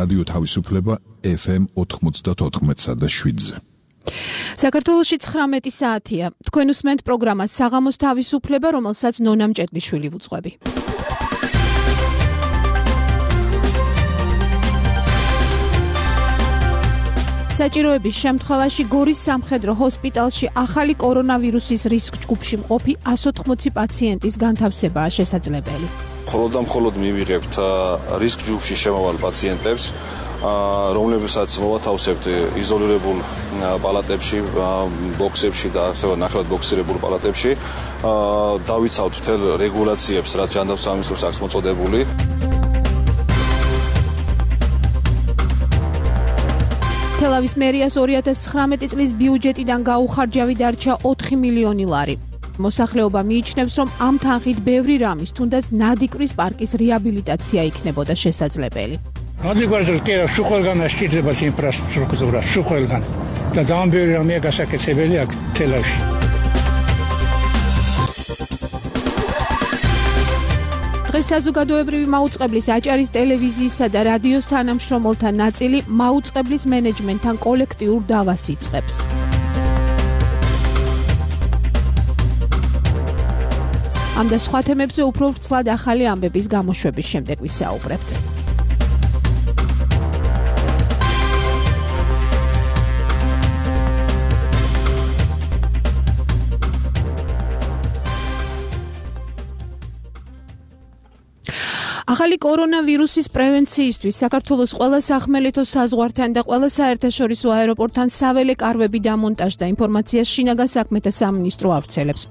რადიო თავისუფლება FM 94.7-ზე. საქართველოში 19 საათია. თქვენ უსმენთ პროგრამას საღამოს თავისუფლება, რომელსაც ნონა მჭედლიშვილი ვუძღვები. საჭიროების შემთხვევაში გორის სამხედრო ჰოსპიტალში ახალი კორონავირუსის რისკ ჯგუფში მყოფი 180 პაციენტის განთავსებაა შესაძლებელი. მხოლოდ მივიღებთ რისკ ჯგუფში შემავალ პაციენტებს, რომლებსაც მოვათავსებთ იზოლირებულ პალატებში, ბოქსებში და ასევე ნახევრად ბოქსირებულ პალატებში. დავიცავთ მთელ რეგულაციებს, რაც ჯანდაცვის სამინისტროს აქვს მოწოდებული. თელავის მერიას 2019 წლის ბიუჯეტიდან გაუხარჯავი დარჩა 4 მილიონი ლარი. მოსახლეობა მიიჩნევს, რომ ამ თანხით ბევრი რამის, თუნდაც ნადიკვრის პარკის რეაბილიტაცია იქნებოდა შესაძლებელი. ნადიკვირზე კი ყველგან შეიძლება ინფრასტრუქტურა, ყველგან და ძალიან ბევრი რამეა გასაკეთებელი აქ თელავში. დღეს საზოგადოებრივი მაუწყებლის აჭარის ტელევიზიისა და რადიოს თანამშრომელთა ნაწილი მაუწყებლის მენეჯმენტთან კოლექტიურ დავას იწყებს. ამ და სხვა თემებზე უფრო ვრცლად ახალი ამბების გამოშვების შემდეგ ვისაუბრებთ. ახალი კორონავირუსის პრევენციისთვის საქართველოს ყველა სახმელეთო საზღვართან და ყველა საერთაშორისო აეროპორტთან საველე კარვები დამონტაჟდა, ინფორმაციას შინაგან საქმეთა სამინისტრო ავრცელებს.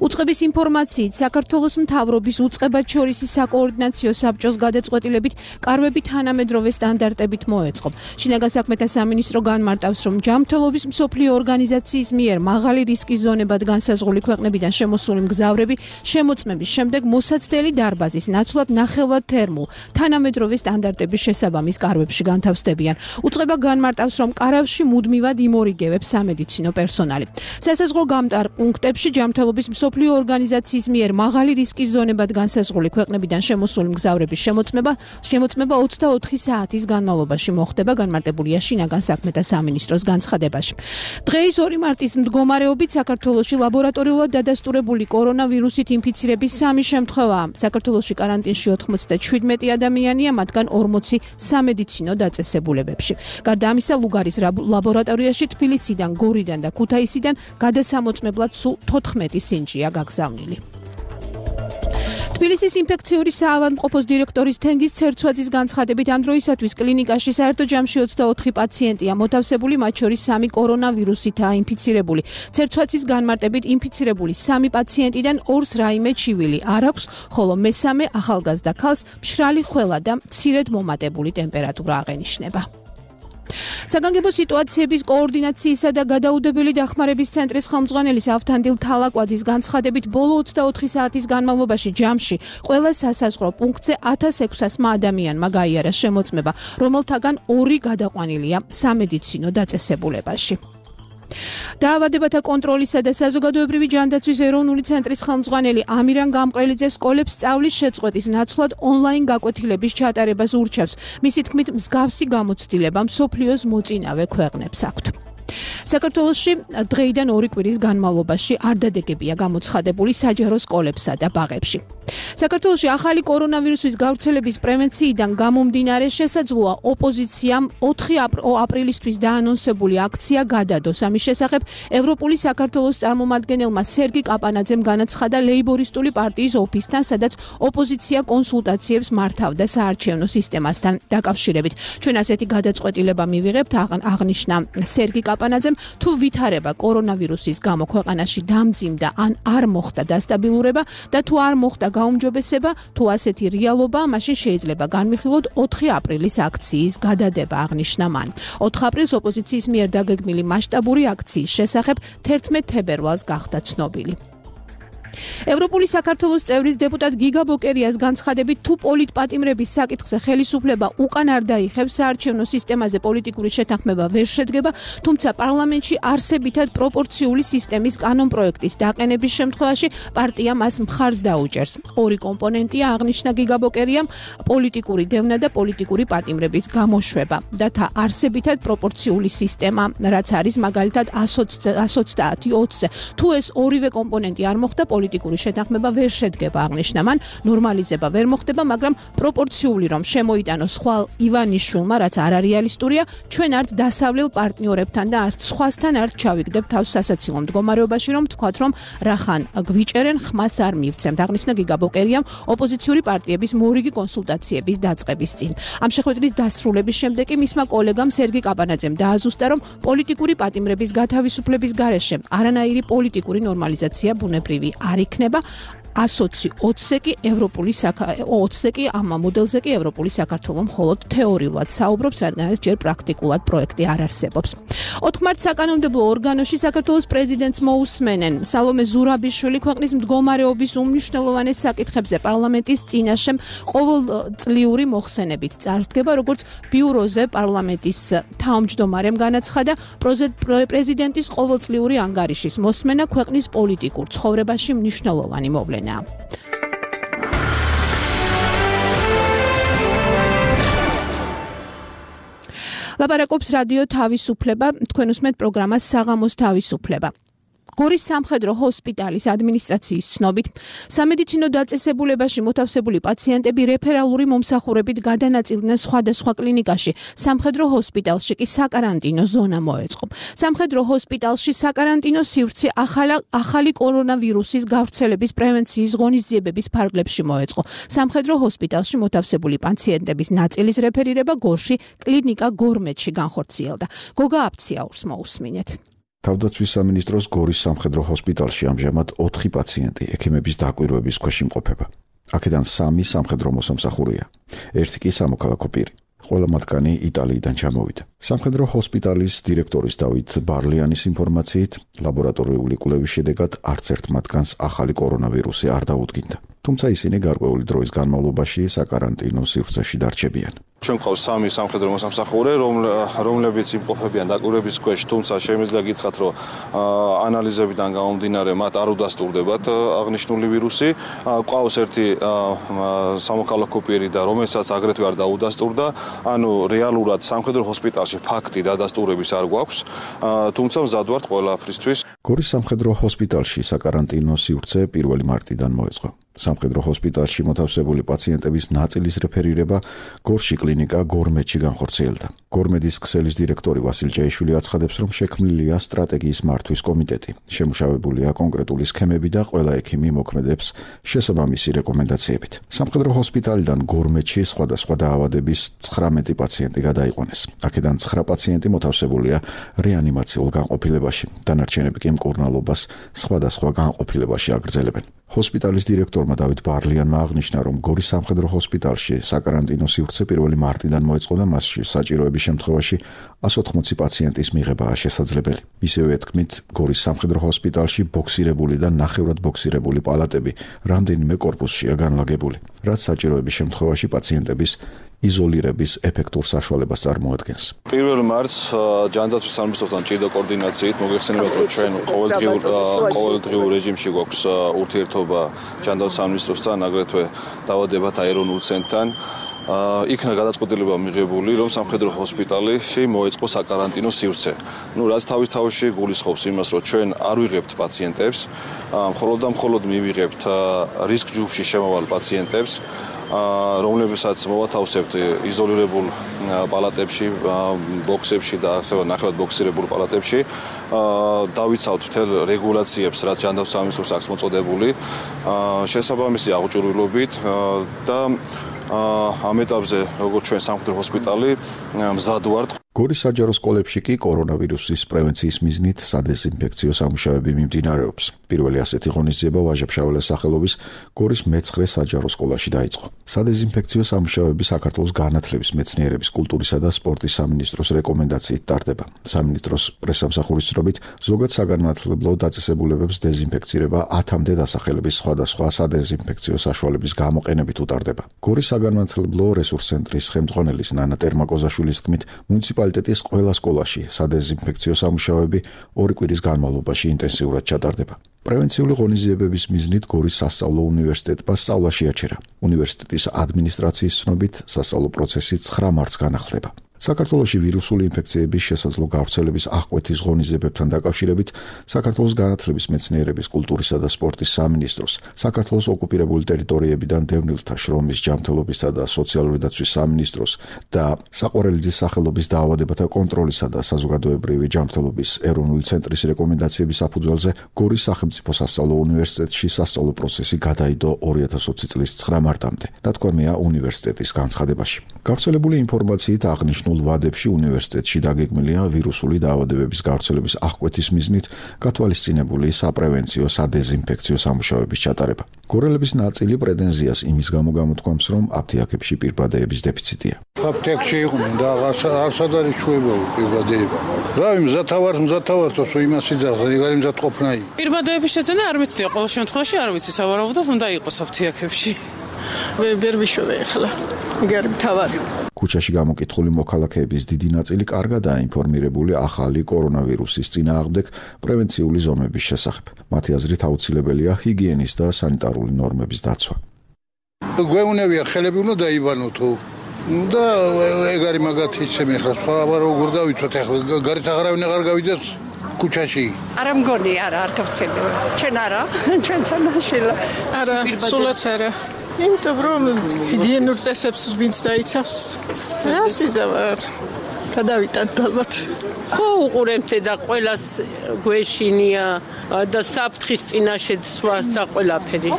უწყების ინფორმაციით, საქართველოს მთავრობის უწყებათშორისი საკოორდინაციო საბჭოს გადაწყვეტილებით კარვები თანამედროვე სტანდარტებით მოეწყო. შინაგან საქმეთა სამინისტრო განმარტავს, რომ ჯანმრთელობის მსოფლიო ორგანიზაციის მიერ მაღალი რისკის ზონებად განსაზღვრული ქვეყნებიდან შემოსული მგზავრები შემოწმების შემდეგ მოსაცდელი დარბაზის ნაცვლად ნახევრად თერმულ თანამედროვე სტანდარტების შესაბამის კარვებში განთავსდებიან. უწყება განმარტავს, რომ კარავში მუდმივად იმორიგებებს სამედიცინო პერსონალი. სასაზღვრო გამტარ პუნქტებში ჯანმრთელობის მსოფლიო ორგანიზაციის მიერ მაღალი რისკის ზონებად განსაზღვრული ქვეყნებიდან შემოსული მგზავრების შემოწმება 24 საათის განმავლობაში მოხდება, განმარტებულია შინაგან საქმეთა სამინისტროს განცხადებაში. დღეის 2 მარტის მდგომარეობით საქართველოში ლაბორატორიულად დადასტურებული კორონავირუსით ინფიცირების 3 შემთხვევაა. საქართველოში კარანტინში 97 ადამიანია, მათგან 40 სამედიცინო დაწესებულებებში. გარდა ამისა, ლუგარის ლაბორატორიაში თბილისიდან, გორიდან და ქუთაისიდან გადასამოწმებლად სულ 14 სინჯია გაგზავნილი. თბილისის ინფექციური საავადმყოფოს დირექტორის თენგიზ ცერცვაძის განცხადებით, ამ დროისათვის კლინიკაში საერთო ჯამში 24 პაციენტია მოთავსებული, მათ შორის 3 კორონავირუსითაა ინფიცირებული. ცერცვაძის განმარტებით, ინფიცირებული 3 პაციენტიდან 2-ს რაიმე ჩივილი არ აქვს, ხოლო მესამე ახალგაზრდა ქალს მშრალი ხველა და მცირედ მომატებული ტემპერატურა აღენიშნება. საგანგებო სიტუაციების კოორდინაციისა და გადაუდებელი დახმარების ცენტრის ხელმძღვანელის ავთანდილ თალაკვაძის განცხადებით, ბოლო 24 საათის განმავლობაში ჯამში ყველა სასაზღვრო პუნქტზე 1600 ადამიანმა გაიარა შემოწმება, რომელთაგან 2 გადაყვანილია სამედიცინო დაწესებულებაში. დაავადებათა კონტროლისა და საზოგადოებრივი ჯანდაცვის ეროვნული ცენტრის ხელმძღვანელი ამირან გამყრელიძე სკოლებს სწავლის შეწყვეტის ნაცვლად ონლაინ გაკვეთილების ჩატარებას ურჩევს. მისი თქმით, მსგავსი გამოცდილება მსოფლიოს მოწინავე ქვეყნებს აქვთ. საქართველოში დღეიდან 2 კვირის განმავლობაში არ დადეგებია გამოცხადებული საჯარო სკოლებსა და ბაღებში. საქართველოში ახალი კორონავირუსის გავრცელების პრევენციიდან გამომდინარე შესაძლოა ოპოზიციამ 4 აპრილისთვის დაანონსებული აქცია გადადოს. ამის შესახებ ევროპული საქართველოს წარმომადგენელმა სერგი კაპანაძემ განაცხადა ლეიბორისტული პარტიის ოფისთან, სადაც ოპოზიცია კონსულტაციებს მართავდა საარჩევნო სისტემასთან დაკავშირებით. ჩვენ ასეთი გადაწყვეტილება მივიღებთ, აღნიშნა სერგი კაპანაძემ, თუ ვითარება კორონავირუსის გამო ქვეყანაში დამძიმდა ან არ მოხდა დასტაბილურება და თუ არ მოხდა გაუმჯობესება, თუ ასეთი რეალობაა, მაშინ შეიძლება განვიხილოთ 4 აპრილის აქციის გადადება, აღნიშნა მან. 4 აპრილს ოპოზიციის მიერ დაგეგმილი მასშტაბური აქციის შესახებ 11 თებერვალს გახდა ცნობილი. ევროპული საქართველოს წევრის დეპუტატ გიგა ბოკერიას განცხადებით, თუ პოლიტპატიმრების საკითხზე ხელისუფლება უკან არ დაიხევს, საარჩევნო სისტემაზე პოლიტიკური შეთანხმება ვერ შედგება, თუმცა პარლამენტში არსებითად პროპორციული სისტემის კანონპროექტის დაყენების შემთხვევაში პარტია მას მხარს დაუჭერს. ორი კომპონენტია აღნიშნა გიგა ბოკერიამ, პოლიტიკური დევნა და პოლიტიკური პატიმრების გამოშვება. და არსებითად პროპორციული სისტემა, რაც არის მაგალითად 120-20-ზე. თუ ეს ორივე კომპონენტი არ მოხდა, პოლიტიკური შეთანხმება ვერ შედგება აღნიშნა მან, ნორმალიზება ვერ მოხდება, მაგრამ პროპორციული რომ შემოიტანოს ხვალ ივანიშვილმა, რაც არარეალისტურია, ჩვენ არც დასავლელ პარტნიორებთან და არც სხვასთან არ ჩავიგდებ თავს სასაცილო მდგომარეობაში, რომ თქვათ, რომ რახან გვიჭერენ, ხმას არ მივცემთ. აღნიშნა გიგა ბოკერიამ ოპოზიციური პარტიების მორიგი კონსულტაციების დაწყების წინ. ამ შეხვედრის დასრულების შემდეგ კი მისმა კოლეგამ სერგი კაპანაძემ დააზუსტა, რომ პოლიტიკური პატიმრების გათავისუფლების გარეშე არანაირი პოლიტიკური ნორმალიზაცია ბუნებრივი არ იქნება. 120-ზე კი ევროპული 20-ზე კი ამ მოდელზე კი ევროპული საქართველო მხოლოდ თეორიულად საუბრობს, რადგანაც ჯერ პრაქტიკულად პროექტი არ არსებობს. 4 მარტს საკანონმდებლო ორგანოში საქართველოს პრეზიდენტს მოусმენენ. სალომე ზურაბიშვილი ქვეყნის მდგომარეობის უმნიშვნელოვანეს საკითხებზე პარლამენტის წინაშე ყოველწლიური მოხსენებით წარსდგება, როგორც ბიუროზე პარლამენტის თავმჯდომარემ განაცხადა, პრეზიდენტის ყოველწლიური ანგარიშის მოსმენა ქვეყნის პოლიტიკურ ცხოვრებაში მნიშვნელოვანი მოვლენა. ლაპარაკობს რადიო თავისუფლება, თქვენ უსმენთ პროგრამას საღამოს თავისუფლება. გორის სამხედრო ჰოსპიტალის ადმინისტრაციის ცნობით, სამედიცინო დაწესებულებაში მოთავსებული პაციენტები რეფერალური მომსახურებით გადანაწილდნენ სხვადასხვა კლინიკაში, სამხედრო ჰოსპიტალში კი საკარანტინო ზონა მოეწყო. სამხედრო ჰოსპიტალში საკარანტინო სივრცე ახალი კორონავირუსის გავრცელების პრევენციის ღონისძიებების ფარგლებში მოეწყო. სამხედრო ჰოსპიტალში მოთავსებული პაციენტების ნაწილის რეფერირება გორში კლინიკა გორმეთში განხორციელდა. გოგა აფციაურს მოусმინეთ. თავდაცვის სამინისტროს გორის სამხედრო ჰოსპიტალში ამჟამად 4 პაციენტი ექიმების დაკვირვების ქვეშ იმყოფება. აქედან 3 სამხედრო მოსამსახურეა, 1 კი სამოქალაქო პირი. ყველა მათგანი იტალიიდან ჩამოვიდა. სამხედრო ჰოსპიტალის დირექტორის დავით ბარლიანის ინფორმაციით, ლაბორატორიული კვლევის შედეგად არც ერთ მათგანს ახალი კორონავირუსი არ დაუდგინდა. თუმცა ისინი გარკვეული დროის განმავლობაში საკარანტინო სივრცეში დარჩებიან. ჩვენ გვყავს 3 სამხედრო მოსამსახურე, რომლებიც იმყოფებიან დაკვირვების ქვეშ, თუმცა შემიძლია გითხრათ, რომ ანალიზებიდან გამომდინარე მათ არ უდასტურდებათ აღნიშნული ვირუსი. გვყავს ერთი სამოქალაქო პირი და რომელსაც აგრეთვე არ დაუდასტურდა, ანუ რეალურად სამხედრო ჰოსპიტალში ფაქტი დადასტურების არ გვაქვს, თუმცა მზად ვართ ყველაფრისთვის. გორის სამხედრო ჰოსპიტალში საკარანტინო სივრცე 1 მარტიდან მოეწყო. სამხედრო ჰოსპიტალში მოთავსებული პაციენტების ნაწილის რეფერირება გორში კლინიკა გორმეთში განხორციელდა. გორმედის ქსელის დირექტორი ვასილ ჭეიშვილი აცხადებს, რომ შექმნილია სტრატეგიის მართვის კომიტეტი. შემუშავებულია კონკრეტული სქემები და ყველა ექიმი მოქმედებს შესაბამისი რეკომენდაციებით. სამხედრო ჰოსპიტალიდან გორმეთში სხვადასხვა დაავადების 19 პაციენტი გადაიყვანეს. აქედან 9 პაციენტი მოთავსებულია რეანიმაციულ განყოფილებაში. დანარჩენები კი მკურნალობას სხვადასხვა განყოფილებაში აგრძელებენ. ჰოსპიტალის დირექტორმა დავით ბარლიანმა აღნიშნა, რომ გორის სამხედრო ჰოსპიტალში საკარანტინო სივრცე 1 მარტიდან მოეწყო და მასში საჭიროების შემთხვევაში 180 პაციენტის მიღებაა შესაძლებელი. ისევე ეთქმით, გორის სამხედრო ჰოსპიტალში ბოქსირებული და ნახევრად ბოქსირებული პალატები რამდენიმე კორპუსშია განლაგებული, რაც საჭიროების შემთხვევაში პაციენტების იზოლირების ეფექტურ საშუალებას წარმოადგენს. 1 მარტს ჯანდაცვის სამინისტროსთან ჭიდო კოორდინაციით მოგეხსენებათ, რომ ჩვენ ყოველდღიურ რეჟიმში გვაქვს ურთიერთობა ჯანდაცვის სამინისტროსთან, აგრეთვე დაავადებათა ეროვნულ ცენტრთან. იქნა გადაწყვეტილება მიღებული, რომ სამხედრო ჰოსპიტალში მოეწყო საკარანტინო სივრცე. რაც თავისთავში გულისხმობს იმას, რომ ჩვენ არ ვიღებთ პაციენტებს, მხოლოდ მივიღებთ რისკ ჯგუფში შემავალ პაციენტებს, რომლებსაც მოვათავსებთ იზოლირებულ პალატებში, ბოქსებში და ასევე ნახევრად ბოქსირებულ პალატებში. დავიცავთ მთელ რეგულაციებს, რაც ჯანდაცვის სამინისტროს აქვს მოწოდებული, შესაბამისი აღჭურვილობით და ამ ეტაპზე, როგორც ჩვენ სამხედრო ჰოსპიტალი, მზად ვართ. გორის საჯარო სკოლებში კი კორონავირუსის პრევენციის მიზნით სადეზინფექციო სამუშაოები მიმდინარეობს. პირველი ასეთი ღონისძიება ვაჟა-ფშაველას სახელობის გორის მე-9 საჯარო სკოლაში დაიწყო. სადეზინფექციო სამუშაოები საქართველოს განათლების, მეცნიერების, კულტურისა და სპორტის სამინისტროს რეკომენდაციით ტარდება. სამინისტროს პრესსამსახურის ცნობით, ზოგად საგანმანათლებლო დაწესებულებებს დეზინფექცირება 10-მდე დასახელების სხვადასხვა სადეზინფექციო საშუალების გამოყენებით უტარდება. გორის საგანმანათლებლო რესურს ცენტრის ხელმძღვანელის ნანა ტერმაკოზაშვილის თქმით, მუნიციპალიტეტის ყველა სკოლაში სადეზინფექციო სამუშაოები 2 კვირის განმავლობაში ინტენსიურად ჩატარდება. პრევენციული ღონისძიებების მიზნით გორის სასწავლო უნივერსიტეტმა სწავლა შეაჩერა. უნივერსიტეტის ადმინისტრაციის ცნობით, სასწავლო პროცესი 9 მარტს განახლდება. საქართველოში ვირუსული ინფექციების შესაძლო გავრცელების აღკვეთის ღონისძიებებთან დაკავშირებით საქართველოს განათლების, მეცნიერების, კულტურისა და სპორტის სამინისტროს, საქართველოს ოკუპირებული ტერიტორიებიდან დევნილთა შრომის, ჯანმრთელობისა და სოციალური დაცვის სამინისტროს და საყვარელიძის სახელობის დაავადებათა კონტროლისა და საზოგადოებრივი ჯანმრთელობის ეროვნული ცენტრის რეკომენდაციების საფუძველზე გორის სახელმწიფო სასწავლო უნივერსიტეტში სასწავლო პროცესი გადაიდო 2020 წლის 9 მარტამდე. ნათქვამია უნივერსიტეტის განცხადებაში. გავრცელებული ინფორმაციით აღნიშნულ ვადებში უნივერსიტეტში დაგეგმილია ვირუსული დაავადებების გავრცელების აღკვეთის მიზნით გათვალისწინებული საპრევენციო სადეზინფექციო სამუშაოების ჩატარება. გორელების ნაწილი პრეტენზიას იმის გამო გამოთქვამს, რომ აფთიაქებში პირბადეების დეფიციტია. აფთიაქში იყვნენ და არსად არის ჩვევა პირბადეება. რავი მზათავართოს იმას იძახს, ეგარი მზადყოფნაი. პირბადეების შეძენა არ ვიცია, ყოველ შემთხვევაში არ ვიცი, სავარაუდოდ უნდა იყოს აფთიაქებში. ვერ ვიშოვე ახლა. ეგარი მთავარი. ქუჩაში გამოკითხული მოქალაქეების დიდი ნაწილი კარგადაა ინფორმირებული ახალი კორონავირუსის წინააღმდეგ პრევენციული ზომების შესახებ. მათი აზრით აუცილებელია ჰიგიენის და სანიტარული ნორმების დაცვა. გვეუნებია ხელები უნდა დაიბანოთო და ეგარი მაგათ იცემ ახლა სხვა როგორ დავიცვათ ახლა გარეთ აღარავინ აღარ გავიდეს ქუჩაში. არა მგონი არ გავცელდება. ჩვენ არა, ჩვენთან შილა. არა, სულაც არა. იმიტომ რომ ჰიგიენურ წესებს ვინც დაიცავს, რა სიზავარ. გადავიტანთ ალბათ. ხო უყურებთ და ყველას გვეშინია და საფრთხის წინაშე სვას და ყველაფერი.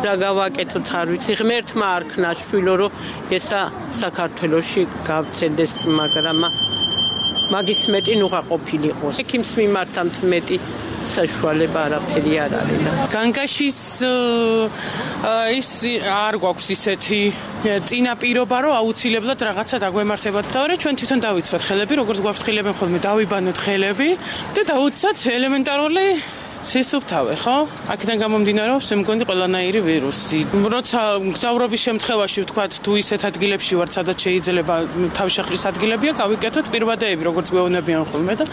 რა გავაკეთოთ არ ვიცი. ღმერთმა არქნა შვილო რომ ესა საქართველოში გავცელდეს, მაგრამ მაგის მეტი ნუღა ყოფილიყოს. ექიმს მიმართავთ მეტი საშუალება არაფერი არ არის. განგაშის ის არ გვაქვს ისეთი წინაპირობა, რომ აუცილებლად რაღაცა დაგვემართებათ. და ჩვენ თვითონ დავიცვათ ხელები, როგორც გვაფრთხილებენ ხოლმე, დავიბანოთ ხელები და დაუცათ ელემენტარული სისუფთავე, ხო? აქედან გამომდინარეობს, მე მგონი ყველანაირი ვირუსი. როცა გზავრობის შემთხვევაში ვთქვათ, თუ ისეთ ადგილებში ვართ, სადაც შეიძლება თავშეყრის ადგილებია, გავიკეთოთ პირბადეები, როგორც გვეუბნებიან ხოლმე და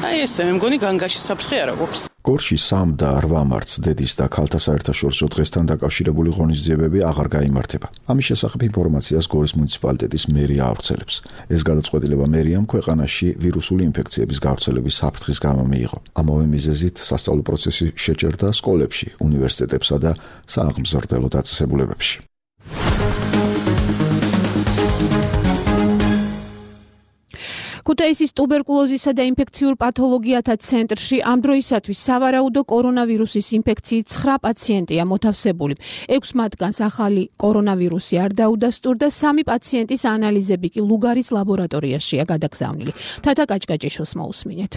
აი ესე, მე მგონი განგაშის საფრთხე არ აქვს. გორში 3 და 8 მარტს დედის და ქალთა საერთაშორისო დღესთან დაკავშირებული ღონისძიებები აღარ გაიმართება. ამის შესახებ ინფორმაციას გორის მუნიციპალიტეტის მერია ავრცელებს. ეს გადაწყვეტილება მერიამ ქვეყანაში ვირუსული ინფექციების გავრცელების საფრთხის გამო მიიღო. ამავე მიზეზით სასწავლო პროცესი შეჭერდა სკოლებში, უნივერსიტეტებსა და სააღმზრდელო დაწესებულებებში. ქუთაისის ტუბერკულოზისა და ინფექციურ პათოლოგიათა ცენტრში ამ დროისათვის სავარაუდო კორონავირუსის ინფექციით 9 პაციენტია მოთავსებული. 6 მათგანს ახალი კორონავირუსი არ დაუდასტურდა, 3 პაციენტის ანალიზები კი ლუგარის ლაბორატორიაშია გადაგზავნილი. თათა კაჭკაჭიშოს მოусმინეთ.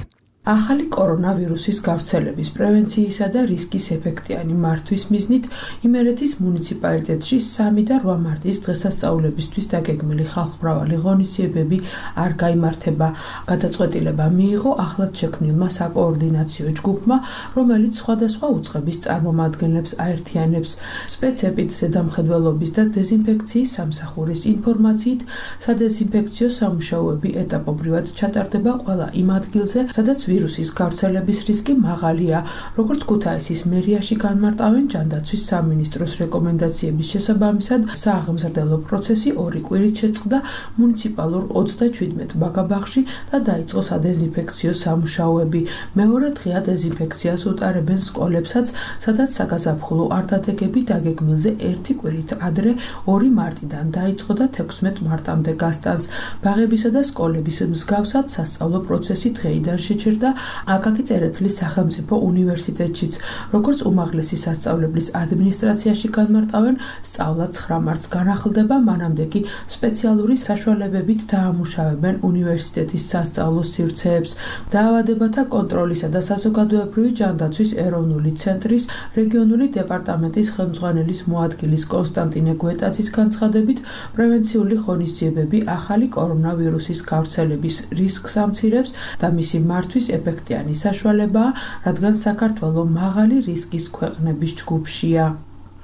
ახალი კორონავირუსის გავრცელების პრევენციისა და რისკის ეფექტიანი მართვის მიზნით იმერეთის მუნიციპალიტეტში 3 და 8 მარტის დღესასწაულებისთვის დაგეგმილი ხალხმრავალი ღონისძიებები არ გაიმართება. გადაწყვეტილება მიიღო ახლად შექმნილმა საკოორდინაციო ჯგუფმა, რომელიც სხვადასხვა უწყების წარმომადგენლებს აერთიანებს. სპეცებით ზედამხედველობის და დეზინფექციის სამსახურის ინფორმაციით, სადეზინფექციო სამუშაოები ეტაპობრივად ჩატარდება ყველა იმ ადგილზე, სადაც ვირუსის გავრცელების რისკი მაღალია, როგორც ქუთაისის მერიაში განმარტავენ ჯანდაცვის სამინისტროს რეკომენდაციების შესაბამისად, სააღმზრდელო პროცესი 2 კვირით შეწყდა მუნიციპალურ 37 ბაგაბაღში და დაიწყო სადეზინფექციო სამუშაოები. მეორე დღეა დეზინფექციას უტარებენ სკოლებსაც, სადაც საგაზაფხულო არდადეგები დაგეგმილზე 1 კვირით ადრე 2 მარტიდან დაიწყო და 16 მარტამდე გასტანს. ბაღებისა და სკოლების მსგავსად სასწავლო პროცესი დღეიდან შეჩერდა და აკაკი წერეთლის სახელმწიფო უნივერსიტეტშიც, როგორც უმაღლესი სასწავლებლის ადმინისტრაციაში განმარტავენ, სწავლა 9 მარტს განახლდება, მანამდე კი სპეციალური საშუალებებით დაამუშავებენ უნივერსიტეტის სასწავლო სივრცეებს. დაავადებათა კონტროლისა და საზოგადოებრივი ჯანდაცვის ეროვნული ცენტრის რეგიონული დეპარტამენტის ხელმძღვანელის მოადგილის კონსტანტინე გვეტაძის განცხადებით, პრევენციული ღონისძიებები ახალი კორონავირუსის გავრცელების რისკს ამცირებს და მისი მართვის ეფექტიანი საშუალებაა, რადგან საქართველო მაღალი რისკის ქვეყნების ჯგუფშია.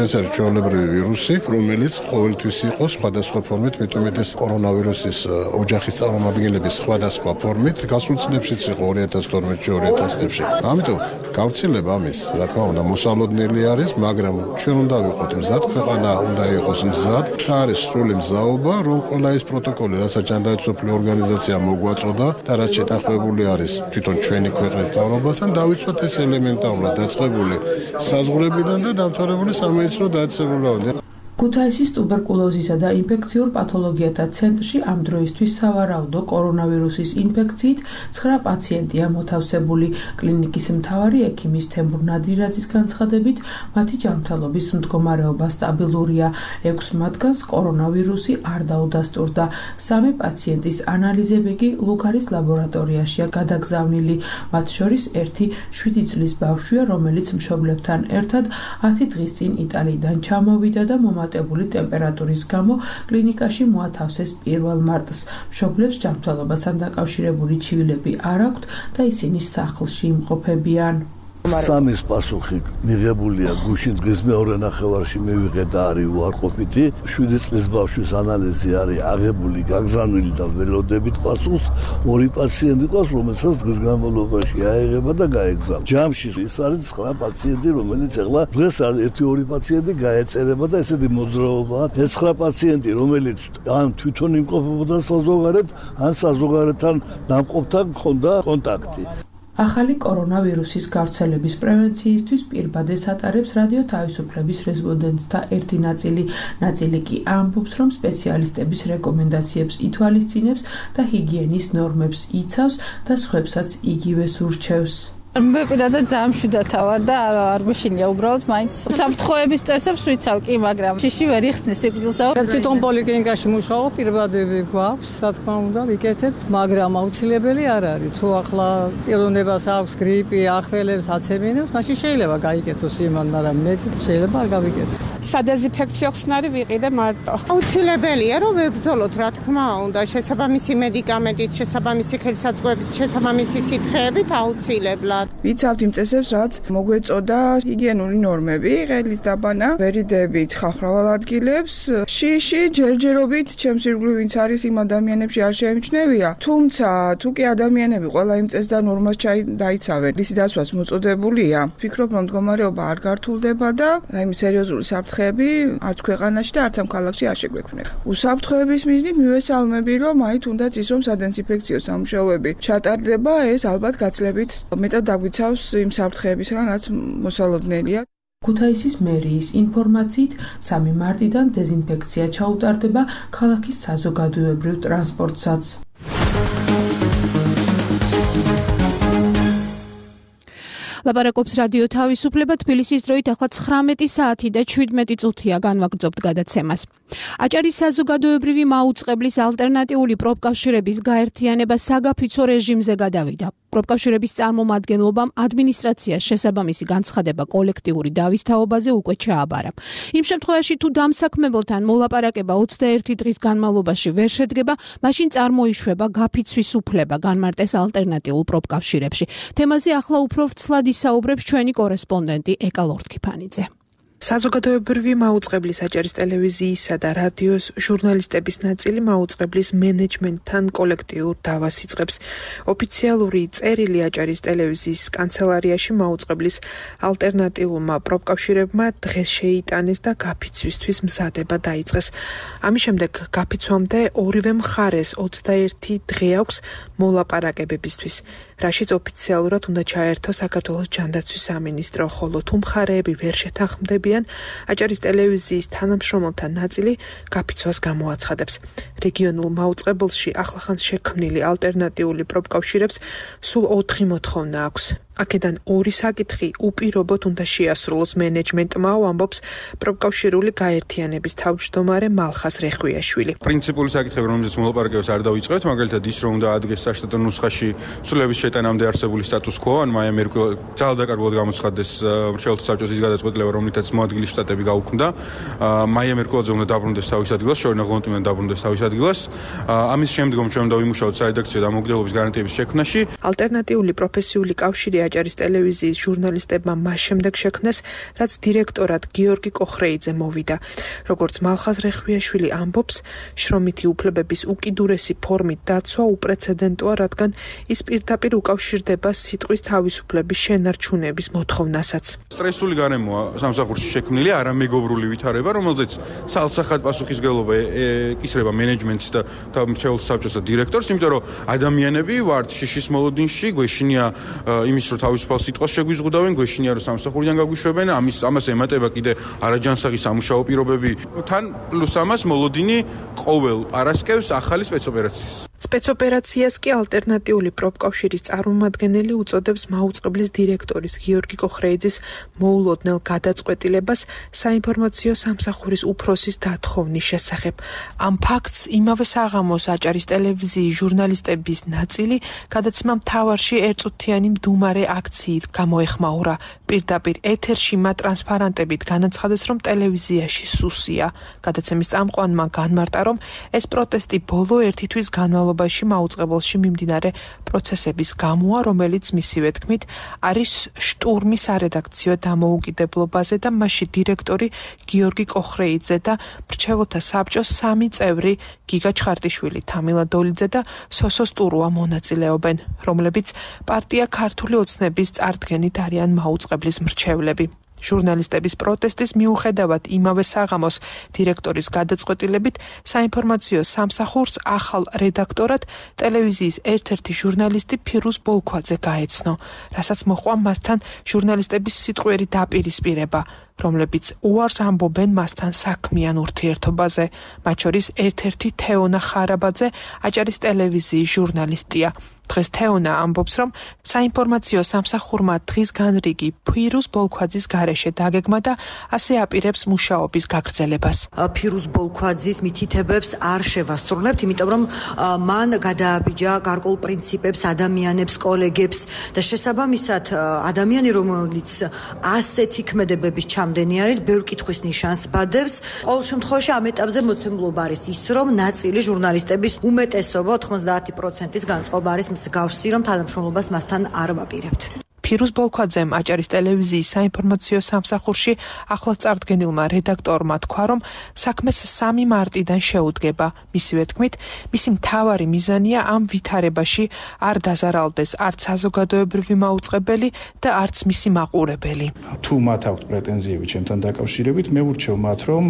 ეს არის ჩვეულებრივი ვირუსი, რომელიც ყოველთვის იყო სხვადასხვა ფორმით, მეტუმეტ ეს კორონავირუსის ოჯახის წარმომადგენლების სხვადასხვა ფორმით, გასულ წლებშიც იყო 2012-2013 წლებში. ამიტომ გავრცელება ამის, რა თქმა უნდა, მოსალოდნელი არის, მაგრამ ჩვენ უნდა ვიყოთ მზად, ქვეყანა უნდა იყოს მზად და არის სრული მზაობა, რომ ყველა ეს პროტოკოლი, რასაც ჯანდაცვის ორგანიზაცია მოგვაწოდა და რაც შეთანხმებული არის თვითონ ჩვენი ქვეყნის მთავრობასთან, დავიცვათ ეს ელემენტარულად დაწყებული საზღვრებიდან და დამთავრებული სამედიცინო დაწესებულებამდე. ქუთაისის ტუბერკულოზისა და ინფექციურ პათოლოგიათა ცენტრში ამ დროისთვის სავარაუდო კორონავირუსის ინფექციით 9 პაციენტია მოთავსებული. კლინიკის მთავარი ექიმის თემურ ნადირაძის განცხადებით, მათი ჯანმრთელობის მდგომარეობა სტაბილურია. 6 მათგანს კორონავირუსი არ დაუდასტურდა. 3 პაციენტის ანალიზები კი ლუგარის ლაბორატორიაშია გადაგზავნილი. მათ შორის ერთი 7 წლის ბავშვია, რომელიც მშობლებთან ერთად 10 დღის წინ იტალიიდან ჩამოვიდა და მომატებული ტემპერატურის გამო კლინიკაში მოათავსეს 1 მარტს. მშობლებს ჯანმრთელობასთან დაკავშირებული ჩივილები არ აქვთ და ისინი სახლში იმყოფებიან. სამის პასუხი მიღებულია გუშინ დღის მეორე ნახევარში მივიღე და არის უარყოფითი. 7 წლის ბავშვის ანალიზი არის აღებული, გაგზავნილი და ველოდებით პასუხს. 2 პაციენტი ყავს, რომელსაც დღის განმავლობაში აიღება და გაეგზავნა. ჯამში ის არის 9 პაციენტი, რომელიც ახლა დღეს არის 1-2 პაციენტი გაეწერება და ესეთი მოძრაობაა. 9 პაციენტი, რომელიც ან თვითონ იმყოფებოდა საზოგადოებად, ან საზოგადოებთან ნამყოფთან ჰქონდა კონტაქტი. ახალი კორონავირუსის გავრცელების პრევენციისთვის პირბადეს ატარებს რადიო თავისუფლების რესპონდენტთა ერთი ნაწილი კი ამბობს, რომ სპეციალისტების რეკომენდაციებს ითვალისწინებს და ჰიგიენის ნორმებს იცავს და სხვებსაც იგივეს ურჩევს. მე პირადად ძალიან მშვიდად ვარ და არ მეშინია უბრალოდ მაინც საფრთხოების წესებს ვიცავ კი, მაგრამ შიში ვერ იხსნის სიკვდილსა. თვითონ პოლიკლინიკაში მუშაობ, პირბადები გვაქვს, რა თქმა უნდა, ვიკეთებთ, მაგრამ აუცილებელი არ არის. თუ ახლა პიროვნებას აქვს გრიპი, ახველებს, აცემინებს, მაშინ შეიძლება გაიკეთოს იმან, მაგრამ მე შეიძლება არ გავიკეთო. სადეზინფექციო ხსნარი ვიყიდე მარტო. აუცილებელია რომ ვებრძოლოთ, რა თქმა უნდა, შესაბამისი მედიკამენტით, შესაბამისი ხელსაწყოებით, შესაბამისი სითხეებით აუცილებლად. ვიცავთ იმ წესებს, რაც მოგვეწოდა ჰიგიენური ნორმები, ყელის დაბანა, ვერიდებით ხალხმრავალ ადგილებს, შიში ჯერჯერობით ჩემს ირგვლივ ვინც არის იმ ადამიანებში არ შეემჩნევია, თუმცა თუ კი ადამიანები ყველა იმ წეს და ნორმას დაიცავენ, ისი დაცვას მოწოდებულია, ვფიქრობ, რომ მდგომარეობა არ გართულდება და რაიმე სერიოზული საფრთხეები არც ქვეყანაში და არც ამ ქალაქში არ შეგვექმნება. უსაფრთხოების მიზნით მივესალმები, რომ აი თუნდაც ის რომ სადეზინფექციო სამუშაოები ჩატარდება, ეს ალბათ გაცლებით მეტად დაგვიცავს იმ საფრთხეებისგან, რაც მოსალოდნელია. ქუთაისის მერიის ინფორმაციით 3 მარტიდან დეზინფექცია ჩაუტარდება ქალაქის საზოგადოებრივ ტრანსპორტსაც. ლაპარაკობს რადიო თავისუფლება, თბილისის დროით ახლა 19 საათი და 17 წუთია განვაგრძობთ გადაცემას. აჭარის საზოგადოებრივი მაუწყებლის ალტერნატიული პროფკავშირების გაერთიანება საგაფიცო რეჟიმზე გადავიდა. პროფკავშირების წარმომადგენლობამ ადმინისტრაციას შესაბამისი განცხადება კოლექტიური დავისთავობაზე უკვე ჩააბარა. იმ შემთხვევაში თუ დამსაქმებელთან მოლაპარაკება 21 დღის განმავლობაში ვერ შედგება, მაშინ წარმოიშვება გაფიცვის უფლება განმარტეს ალტერნატიულ პროფკავშირებში. თემაზე ახლა უფრო ვრცლად ისაუბრებს ჩვენი კორესპონდენტი ეკა ლორთქიფანიძე. საზოგადოებრივი მაუწყებლის აჭარის ტელევიზიისა და რადიოს ჟურნალისტების ნაწილი მაუწყებლის მენეჯმენტთან კოლექტიურ დავას იწყებს. ოფიციალური წერილი აჭარის ტელევიზიის კანცელარიაში მაუწყებლის ალტერნატიულმა პროფკავშირებმა დღეს შეიტანეს და გაფიცვისთვის მზადება დაიწყეს. ამის შემდეგ გაფიცვამდე ორივე მხარეს 21 დღე აქვს მოლაპარაკებებისთვის, რაშიც ოფიციალურად უნდა ჩაერთო საქართველოს ჯანდაცვის სამინისტრო, ხოლო თუ მხარეები ვერ შეთანხმდებიან, არიან, აჭარის ტელევიზიის თანამშრომელთა ნაწილი გაფიცვას გამოაცხადებს. რეგიონულ მაუწყებელში ახლახანს შექმნილი ალტერნატიული პროფკავშირებს სულ 4 მოთხოვნა აქვს. აქედან 2 საკითხი უპირობოდ უნდა შეასრულოს მენეჯმენტმა, ამბობს პროფკავშირული გაერთიანების თავმჯდომარე მალხაზ რეხვიაშვილი. პრინციპული საკითხები, რომელზეც მოლაპარაკებას არ დავიწყებთ, მაგალითად ის, რომ უნდა ადგეს საშტატო ნუსხაში ცვლილების შეტანამდე არსებული სტატუს quo, ან მაია მერკვი ძალადაკარგულად გამოცხადდეს მრჩეველთა საბჭოს ის გადაწყვეტილება, რომლითაც მოადგილე შტატები გაუქმდა. მაია მერკულაძე უნდა დაბრუნდეს თავის ადგილას, შორინა ღლონტი უნდა დაბრუნდეს თავის ადგილას. ამის შემდგომ ჩვენ დავიმუშავოთ სარედაქციო დამოუკიდებლობის გარანტიების შექმნაში. ალტერნატიული პროფესიული კავშირი აჭარის ტელევიზიის ჟურნალისტებმა მას შემდეგ შექმნეს, რაც დირექტორად გიორგი კოხრეიძე მოვიდა. როგორც მალხაზ რეხვიაშვილი ამბობს, შრომითი უფლებების უკიდურესი ფორმით დაცვა უპრეცედენტოა, რადგან ის პირდაპირ უკავშირდება სიტყვის თავისუფლების შენარჩუნების მოთხოვნასაც. სტრესული გარემოა სამსახურში შექმნილი, არამეგობრული ვითარება, რომელზეც სალსახად პასუხისმგებლობა ეკისრება მენეჯმენტს და მრჩეველთა საბჭოს და დირექტორს, იმიტომ რომ ადამიანები ვართ შიშის მოლოდინში, გვეშინია იმის რომ თავისუფალ სიტყვას შეგვიზღუდავენ, გვეშინია რომ სამსახურიდან გაგვიშვებენ, ამას ემატება კიდე არაჯანსაღი სამუშაო პირობები. თან პლუს ამას მოლოდინი ყოველ პარასკევს ახალი სპეცოპერაციის. სპეცოპერაციას კი ალტერნატიული პროფკავშირის წარმომადგენელი უწოდებს მაუწყებლის დირექტორის გიორგი კოხრეიძის მოულოდნელ გადაწყვეტილებას საინფორმაციო სამსახურის უფროსის დათხოვნის შესახებ. ამ ფაქტს იმავე საღამოს აჭარის ტელევიზიის ჟურნალისტების ნაწილი გადაცემა მთავარში ერთწუთიანი მდუმარე აქციით გამოეხმაურა. პირდაპირ ეთერში მათ ტრანსპარანტებით განაცხადეს, რომ ტელევიზიაში სუსია. გადაცემის წამყვანმა განმარტა, რომ ეს პროტესტი ბოლო 1 თვის განმავლობაში მაუწყებელში მიმდინარე პროცესების გამოა, რომელიც მისივე თქმით არის შტურმი სარედაქციო დამოუკიდებლობაზე და მასში დირექტორი გიორგი კოხრეიძე და მრჩეველთა საბჭოს 3 წევრი გიგა ჩხარტიშვილი, თამილა დოლიძე და სოსო სტურუა მონაწილეობენ, რომლებიც პარტია ქართული ოცნების წარდგენით არიან მაუწყებლის მრჩევლები. ჟურნალისტების პროტესტის მიუხედავად იმავე საღამოს დირექტორის გადაწყვეტილებით საინფორმაციო სამსახურს ახალ რედაქტორად ტელევიზიის ერთ-ერთი ჟურნალისტი ფირუზ ბოლქვაძე გაეცნო, რასაც მოჰყვა მასთან ჟურნალისტების სიტყვიერი დაპირისპირება, რომლებიც უარს ამბობენ მასთან საქმიან ურთიერთობაზე. მათ შორის ერთ-ერთი თეონა ხარაბაძე, აჭარის ტელევიზიის ჟურნალისტია. დღეს თეონა ამბობს, რომ საინფორმაციო სამსახურმა დღის განრიგი ფირუზ ბოლქვაძის გარეშე დაგეგმა და ასე აპირებს მუშაობის გაგრძელებას. ფირუზ ბოლქვაძის მითითებებს არ შევასრულებთ, იმიტომ რომ მან გადააბიჯა გარკვეულ პრინციპებს, ადამიანებს, კოლეგებს და შესაბამისად ადამიანი, რომელიც ასეთი ქმედებების ჩამდენი არის, ბევრ კითხვის ნიშანს ბადებს. ყოველ შემთხვევაში ამ ეტაპზე მოცემულობა არის ის, რომ ნაწილი ჟურნალისტების უმეტესობა 90%-ის განწყობა არის მსგავსი, რომ თანამშრომლობას მასთან არ ვაპირებთ. ფირუზ ბოლქვაძემ აჭარის ტელევიზიის საინფორმაციო სამსახურში ახლად წარდგენილმა რედაქტორმა თქვა, რომ საქმეს 3 მარტიდან შეუდგება. მისივე თქმით, მისი მთავარი მიზანია ამ ვითარებაში არ დაზარალდეს არც საზოგადოებრივი მაუწყებელი და არც მისი მაყურებელი. თუ მათ აქვთ პრეტენზიები ჩემთან დაკავშირებით, მე ვურჩევ მათ, რომ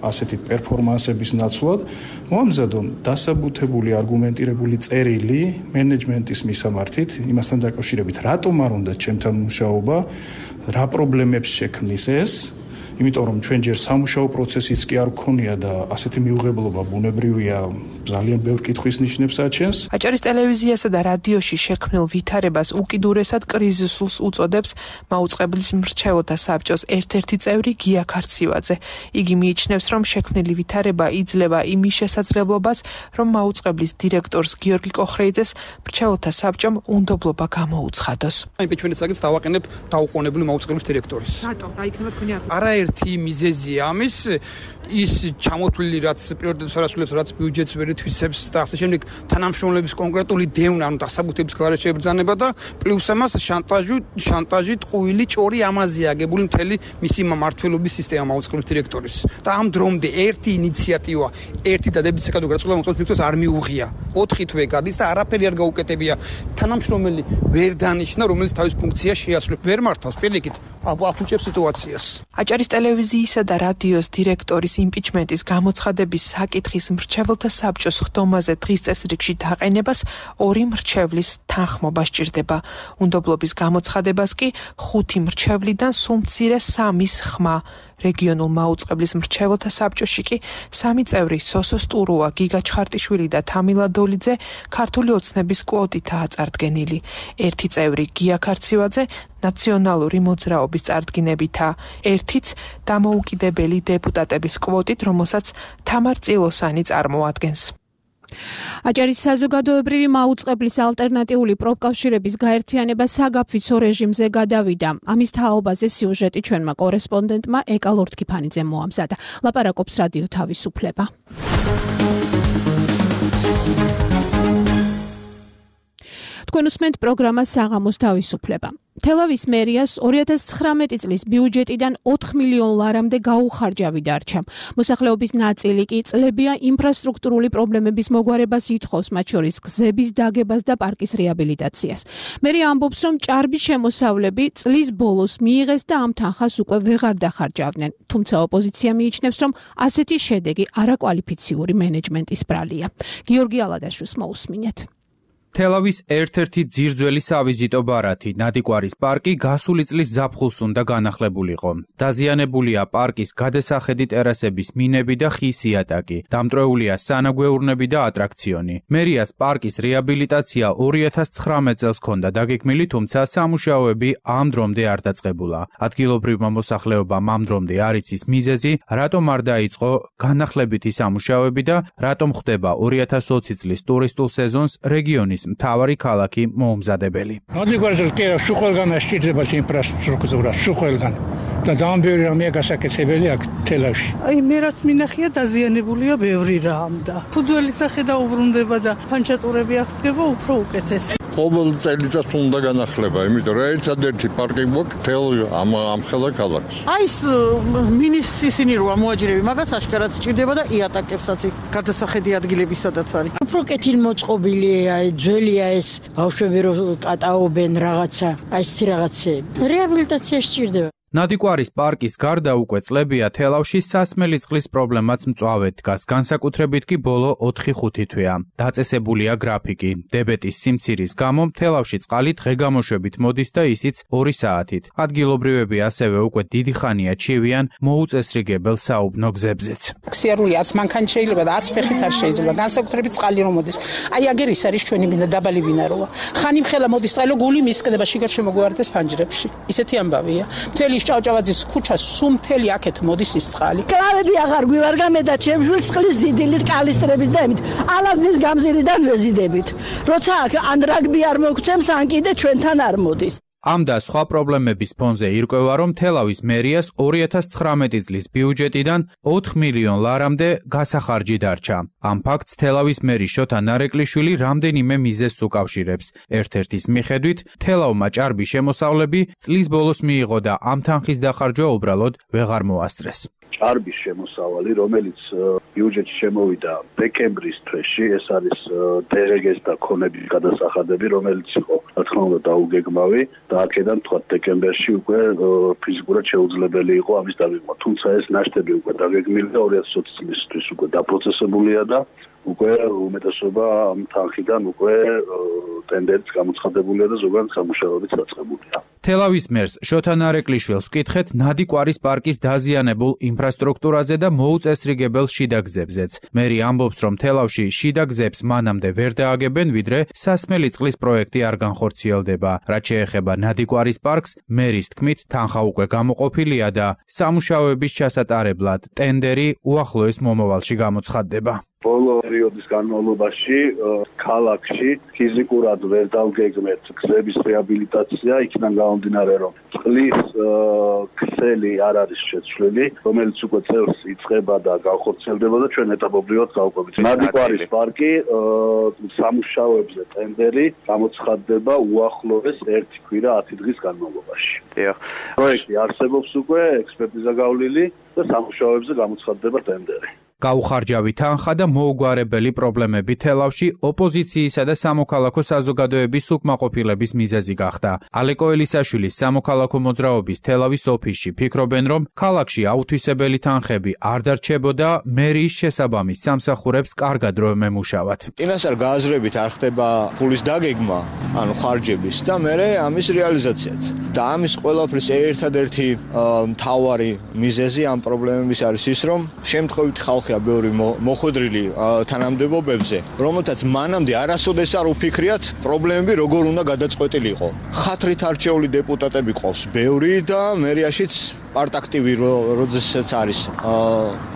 ასეთი პერფორმანსების ნაცვლად მომამზადონ დასაბუთებული არგუმენტირებული წერილი მენეჯმენტის მისამართით, იმასთან დაკავშირებით, რატომ არ უნდა ჩემთან მუშაობა, რა პრობლემებს შექმნის ეს, იმიტომ რომ ჩვენ ჯერ სამუშაო პროცესიც კი არ გქონია და ასეთი მიუღებლობა ბუნებრივია, ძალიან ბევრ კითხვის ნიშნებს აჩენს. აჭარის ტელევიზიასა და რადიოში შექმნილ ვითარებას უკიდურესად კრიზისულს უწოდებს მაუწყებლის მრჩეველთა საბჭოს ერთ-ერთი წევრი გია ქარცივაძე. იგი მიიჩნევს, რომ შექმნილი ვითარება იძლევა იმის შესაძლებლობას, რომ მაუწყებლის დირექტორს გიორგი კოხრეიძეს მრჩეველთა საბჭომ უნდობლობა გამოუცხადოს. იმპიჩმენტის დავაყენებ დაუყოვნებლივ მაუწყებლის დირექტორის. რატომ? რა იქნება თქვენი არგუმენტი? არაერთი მიზეზია ამის, ის ჩამოთვლილი რაც პრიორიტეტებს არ ასრულებს, რაც ბიუჯეტს ვერ ითვისებს და ასე შემდეგ, თანამშრომლების კონკრეტული დევნა, ანუ დასაბუთების გარეშე ებრძანება და პლუს ამას შანტაჟი, ტყუილი, ჭორი ამაზეა აგებული მთელი მისი მმართველობის სისტემა მაუწყებლის დირექტორის. და ამ დრომდე ერთი ინიციატივა, ერთი დადებითი საკადო გაწყვეტილება მაუწყებლის დირექტორს არ მიუღია. 4 თვე გადის და არაფერი არ გაუკეტებია. თანამშრომელი ვერ დანიშნა, რომელიც თავის ფუნქციას შეასრულებს. ვერ მართავს პირიქით. აფუჭებს სიტუაციას. აჭარის ტელევიზიისა და რადიოს დირექტორის იმპიჩმენტის გამოცხადების საკითხის მრჩეველთა საბჭოს ხდომაზე დღის წესრიგში დაყენებას 2 მრჩევლის თანხმობა სჭირდება. უნდობლობის გამოცხადებას კი 5 მრჩევლიდან სულ მცირე 3-ის ხმა. რეგიონულ მაუწყებლის მრჩეველთა საბჭოში კი 3 წევრი სოსო სტურუა, გიგა ჩხარტიშვილი და თამილა დოლიძე ქართული ოცნების კვოტითაა წარდგენილი. 1 წევრი გია ქარცივაძე ნაციონალური მოძრაობის წარდგინებითა, 1-იც დამოუკიდებელი დეპუტატების კვოტით, რომელსაც თამარ წილოსანი წარმოადგენს. აჭარის საზოგადოებრივი მაუწყებლის ალტერნატიული პროფკავშირების გაერთიანება საგაფიცო რეჟიმზე გადავიდა. ამის თაობაზე სიუჟეტი ჩვენმა კორესპონდენტმა ეკა ლორთქიფანიძემ მოამზადა. ლაპარაკობს რადიო თავისუფლება. თქვენ უსმენთ პროგრამას საღამოს თავისუფლება. თელავის მერიას 2019 წლის ბიუჯეტიდან 4 მილიონ ლარამდე გაუხარჯავი დარჩა. მოსახლეობის ნაწილი კი წლებია ინფრასტრუქტურული პრობლემების მოგვარებას ითხოვს, მათ შორის გზების დაგებას და პარკის რეაბილიტაციას. მერია ამბობს, რომ ჭარბი შემოსავლები წლის ბოლოს მიიღეს და ამ თანხას უკვე ვეღარ დახარჯავდნენ. თუმცა ოპოზიცია მიიჩნევს, რომ ასეთი შედეგი არაკვალიფიციური მენეჯმენტის ბრალია. გიორგი ალადაშვილს მოусმინეთ. თელავის ერთ-ერთი ძირძველი სავიზიტო ბარათი, ნადიკვარის პარკი გასული წლის ზაფხულს უნდა განახლებულიყო. დაზიანებულია პარკის გადასახედი ტერასების მინები და ხის იატაკი. დამტრეულია სანაგვეურნები და ატრაქციონი. მერიას პარკის რეაბილიტაცია 2019 წელს ჰქონდა დაგეგმილი, თუმცა სამუშაოები ამ დრომდე არ დაწყებულა. ადგილობრივმა მოსახლეობამ ამ დრომდე არ იცის მიზეზი, რატომ არ დაიწყო განახლებითი სამუშაოები და რატომ ხდება 2020 წლის ტურისტულ სეზონს რეგიონის მთავარი ქალაქი მოუმზადებელი. ნადიკვარზე კი შუხელგან ასჭირდება ინფრასტრუქტურა, შუხელგან. და ძალიან ბევრი რამეა გასაკეთებელი აქ თელავში. მე რაც მინახია დაზიანებულია ბევრი რამ და ფუძველი სახე და უბრუნდება და ფანჩატურები აღსდგება უფრო უკეთეს. ყოველ წელიწადს უნდა განახლება, იმიტომ რომ ერთადერთი პარკი გვაქვს თელ ამ ხელა ქალაქში. აი ეს მინის ისინი როა მოაჯირები, მაგას აშკარად სჭირდება და იატაკებსაც იქ გადასახედი ადგილები სადაც არის. უფრო კეთილმოწყობილია, ძველია ეს ბავშვები რო კატაობენ რაღაცა, აი ეს რაღაცები. რეაბილიტაცია სჭირდება. ნადიკვარის პარკის გარდა უკვე წლებია თელავში სასმელი წყლის პრობლემაც მწვავედ დგას, განსაკუთრებით კი ბოლო 4-5 თვეა. დაწესებულია გრაფიკი. დებეტის სიმცირის გამო თელავში წყალი დღე-გამოშვებით მოდის და ისიც 2 საათით. ადგილობრივები ასევე უკვე დიდი ხანია ჩივიან მოუწესრიგებელ საუბნო გზებზეც. ქსიარული არც მანქანით შეიძლება და არც ფეხით არ შეიძლება. განსაკუთრებით წყალი რომ მოდის. აი აგერ ის არის ჩვენი ბინა დაბალი ბინაროა. ხანი მხელა მოდის წყალი, გული მისკდება, შიგარ შემოგვარდეს ფანჯრებში. ისეთი ამბავია. მთელი ჭავჭავაძის ქუჩა სუმთელი აქეთ მოდის ის წყალი. კლავები აღარ გვივარგა მე და ჩემშვილს წყლის ზიდილით კალისტრებით და ემით ალაზნის გამზირიდან ვეზიდებით. როცა აქ ან რაგბი არ მოგცემს, ან კიდე ჩვენთან არ მოდის. ამ და სხვა პრობლემების ფონზე ირკვევა, რომ თელავის მერიას 2019 წლის ბიუჯეტიდან 4 მილიონ ლარამდე გასახარჯი დარჩა. ამ ფაქტს თელავის მერი შოთა ნარეკვლიშვილი რამდენიმე მიზეზს უკავშირებს. ერთ-ერთის მიხედვით, თელავმა ჭარბი შემოსავლები წლის ბოლოს მიიღო და ამ თანხის დახარჯვა უბრალოდ ვეღარ მოასწრეს. ჭარბი შემოსავალი, რომელიც ბიუჯეტში შემოვიდა დეკემბრის თვეში, ეს არის დერეგეს და ქონების გადასახადები, რომელიც იყო, რა თქმა უნდა, დაუგეგმავი და აქედან თქვა დეკემბერში უკვე ფიზიკურად შეუძლებელი იყო ამის დაგეგმა. თუმცა ეს ნაშთები უკვე დაგეგმილი და 2020 წლისთვის უკვე დაპროცესებულია და უკვე უმეტესობა ამ თანხიდან უკვე ტენდერიც გამოცხადებულია და ზოგადად სამუშაოებიც დაწყებულია. თელავის მერს შოთა ნარეკვლიშვილს ვკითხეთ ნადიკვარის პარკის დაზიანებულ ინფრასტრუქტურაზე და მოუწესრიგებელ შიდა გზებზეც. მერი ამბობს, რომ თელავში შიდა გზებს მანამდე ვერ დააგებენ, ვიდრე სასმელი წყლის პროექტი არ განხორციელდება. რაც შეეხება ნადიკვარის პარკს, მერის თქმით, თანხა უკვე გამოყოფილია და სამუშაოების ჩასატარებლად ტენდერი უახლოეს მომავალში გამოცხადდება. ბოლო პერიოდის განმავლობაში ქალაქში ფიზიკურად ვერ დავგეგმეთ გზების რეაბილიტაცია, იქიდან გამომდინარე, რომ წყლის ქსელი არ არის შეცვლილი, რომელიც უკვე წელს იწყება და განხორციელდება და ჩვენ ეტაპობრივად გავყვებით. ნადიკვარის პარკი სამუშაოებზე ტენდერი გამოცხადდება უახლოეს 1 კვირა 10 დღის განმავლობაში. პროექტი არსებობს უკვე, ექსპერტიზა გავლილი და სამუშაოებზე გამოცხადდება ტენდერი. გაუხარჯავი თანხა და მოუგვარებელი პრობლემები თელავში ოპოზიციისა და სამოქალაქო საზოგადოების უკმაყოფილების მიზეზი გახდა. ალეკო ელისაშვილის სამოქალაქო მოძრაობის თელავის ოფისში ფიქრობენ, რომ ქალაქში აუთვისებელი თანხები არ დარჩებოდა, მერიის შესაბამის სამსახურებს კარგად რომ ემუშავათ. წინასწარ გააზრებით არ ხდება ფულის დაგეგმა, ანუ ხარჯების და მერე ამის რეალიზაციაც. და ამის ყველაფრის ერთადერთი მთავარი მიზეზი ამ პრობლემების არის ის, რომ შემთხვევით ხალხია ბევრი მოხვედრილი თანამდებობებზე, რომელთაც მანამდე არასოდეს არ უფიქრიათ პრობლემები როგორ უნდა გადაწყვეტილიყო. ხათრით არჩეული დეპუტატები ყავს ბევრი და მერიაშიც პარტაქტივი როდესაც არის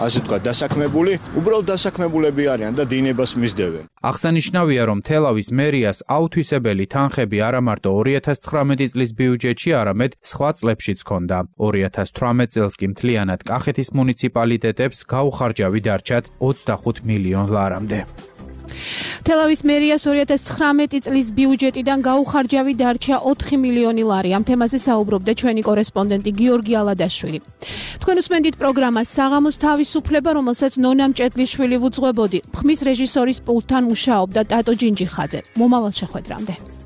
ასე თქვა დასაქმებული, უბრალოდ დასაქმებულები არიან და დინებას მისდევენ. აღსანიშნავია, რომ თელავის მერიას აუთვისებელი თანხები არა მარტო 2019 წლის ბიუჯეტში, არამედ სხვა წლებშიც ჰქონდა. 2018 წელს კი მთლიანად კახეთის მუნიციპალიტეტებს გაუხარჯავი დარჩათ 25 მილიონ ლარამდე. თელავის მერიას 2019 წლის ბიუჯეტიდან გაუხარჯავი დარჩა 4 მილიონი ლარი. ამ თემაზე საუბრობდა ჩვენი კორესპონდენტი გიორგი ალადაშვილი. თქვენ უსმენთ პროგრამას საღამოს თავისუფლება, რომელსაც ნონა მჭედლიშვილი ვუძღვებოდი. ხმის რეჟისორის პულტთან მუშაობდა ტატო ჯინჯიხაძე. მომავალ შეხვედრამდე.